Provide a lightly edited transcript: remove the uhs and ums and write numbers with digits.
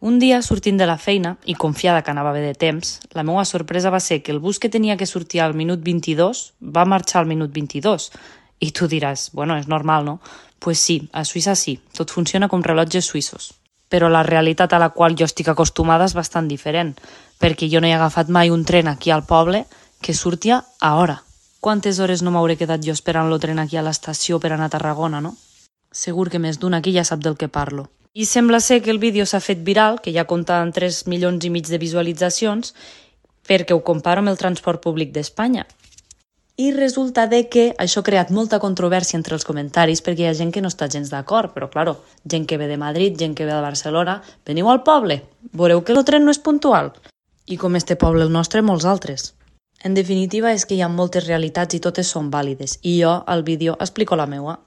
Un dia, sortint de la feina, i confiada que anava bé de temps, la meva sorpresa va ser que el bus que tenia que sortir al minut 22 va marxar al minut 22. I tu diràs, bueno, és normal, no? Pues sí, a Suïssa sí, tot funciona com rellotges suïssos. Però la realitat a la qual jo estic acostumada és bastant diferent, perquè jo no he agafat mai un tren aquí al poble que surtia a hora. Quantes hores no m'hauré quedat jo esperant el tren aquí a l'estació per anar a Tarragona, no? Segur que més d'un aquí ja sap del que parlo. I sembla ser que el vídeo s'ha fet viral, que ja compta amb 3,5 milions de visualitzacions, perquè ho comparo amb el transport públic d'Espanya. I resulta que això ha creat molta controvèrsia entre els comentaris perquè hi ha gent que no està gens d'acord, però claro, gent que ve de Madrid, gent que ve de Barcelona, veniu al poble, veureu que el tren no és puntual. I com este poble el nostre, molts altres. En definitiva és que hi ha moltes realitats i totes són vàlides, i jo al vídeo explico la meua.